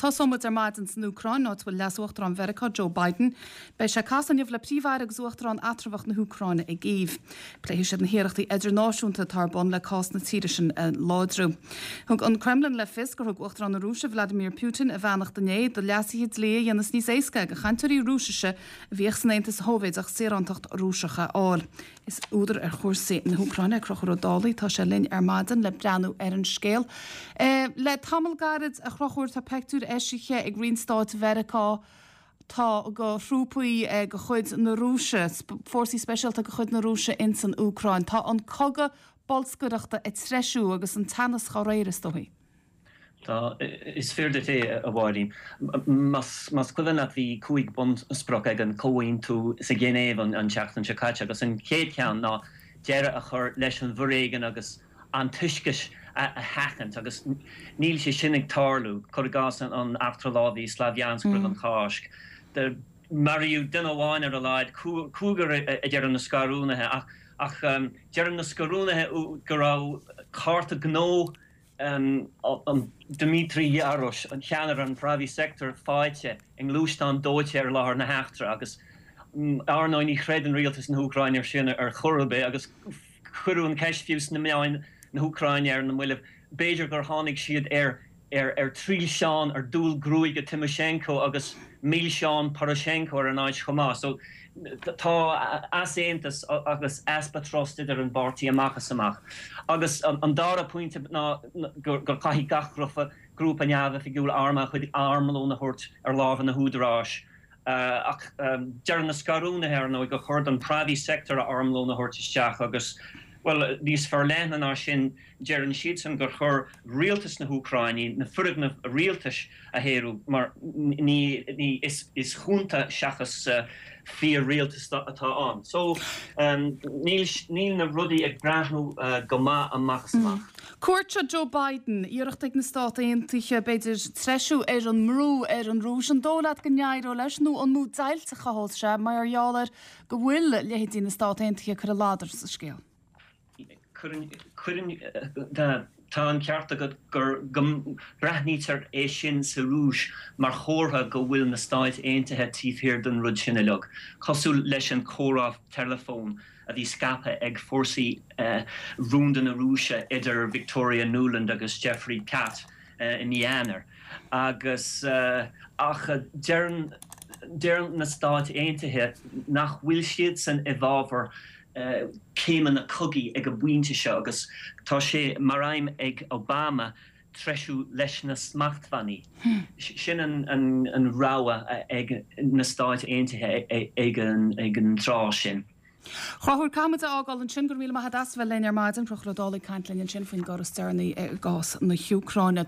Tosóidh muid ar maidin san Úcráin, áit a bhfuil Leas-Uachtarán Mheiriceá, Joe Biden. Beidh sé ag casadh inniu le Príomh-Aire agus Uachtarán eatramhach na hÚcráine i gCív. Pléifidh siad na hiarrachtaí idirnáisiúnta atá ar bun le cás na tíre sin a láidriú. Thug an Kremlin le fios gur thug Uachtarán na Rúise, Vladimir Putin, a bheannacht inné do leasuithe dlí a dhéanfas níos éasca do chainteoirí Rúisise a bhíodh san Aontas Shóivéadach saorántacht Rúiseach a fháil. Is údar ar chúrsaí na hÚcráine é Conchúr Ó Dálaigh. Tá sé linn ar maidin le breathnú ar an scéal. Le tamall gairid, a Chonchúir, tá peictiúir eisithe ag Roinn Stáit Mheiriceá tá go thrúpaí de chuid na Rúise, fórsaí speisialta de chuid na Rúise ins an Úcráin. Tá an cogadh bolscaireachta ag treisiú agus an teannas dá réir, is dóigh. Tá, is fíor duit é, a Mháirín. Más cuimhin leat bhí 5 bunsprioc ag an comhaontú sa Ghinéiv an tseachtain seo caite agus an chéad cheann ná deireadh a chur leis an bhforéigean agus antoisceas a sheachaint agus níl sé sin ag tarlú. Cuir i gcás an eachtra lámhaigh i Slavyansk roimh an Cháisc. Maraíodh duine amháin ar a laghad, cúigear a deireann na scarúnaithe ach deireann na scarúnaithe go raibh cárta gnó an Dmitry Yarosh, an ceannaire an Pravy Sektor faighte i ngluaisteán dóite ar láthair na heachtra agus ar ndóigh ní chreideann rialtas na hÚcráine ar sin ar chor ar bith agus cuireadh an cheist fiú sna meáin na hÚcráine ar na mallaibh b'fhéidir gur tháinig siad ar ar thrilseán, ar dual gruaige Tymoshenko agus milseán Poroshenko ar an áit chomh maith. So tá easaontas agus easpa trust idir an bpáirtí amach is amach. Agus an dara pointe ná gur caithfidh gach grúpa grúpa neamhoifigiúil armtha a chuid armlón a thabhairt ar lámha na húdaráis. Ach deireann na scarúnaithe, ar ndóigh, gur chóir don Pravy Sektor a armlón a thabhairt isteach agus, bhuel, níos forleithne ná sin, Deireann siadsan gur chóir rialtas na hÚcráine na foirgnimh rialtais a shaoradh mar ní ní is junta seachas fíor-rialtas atá ann. So níl níl na rudaí ag breathnú go maith amach is amach. Cuairt seo Joe Biden, iarracht ag na Stát Aontaithe, b'fhéidir, treisiú ar an mbrú ar an Rúis. An dóigh leat go n-éireoidh leis nó an mó deighilt a chothós sé mar gheall ar go bhfuil leithéidí na Stát Aontaithe ag cur a ladar sa scéal? Cuireann, tá an ceart agat gur, go mbreathnaítear é sin sa Rúis mar chomhartha go bhfuil na Stáit Aontaithe taobh thiar den rud sin uilig, cosúil leis an chomhrá teileafóin a bhí scaipthe ag fórsaí rúnda na Rúise idir Victoria Nuland agus Jeffrey Platt i mí Eanáir. Agus, ach deireann, deireann na Stáit Aontaithe nach bhfuil siadsan i bhfabhar céimeanna cogaidh ag an bpointe seo agus tá sé mar aidhm ag Obama treisiú leis na smachtbhannaí. Sin an rogha ag na Stáit Aontaithe ag an tráth sin. Chonchúir, caithfidh muid a fhágáil ansin. Go raibh míle maith agat as a bheith linn ar maidin. Conchúr Ó Dálaigh ag caint linn ansin faoin gcor is deireanaí i gcás na hÚcráine.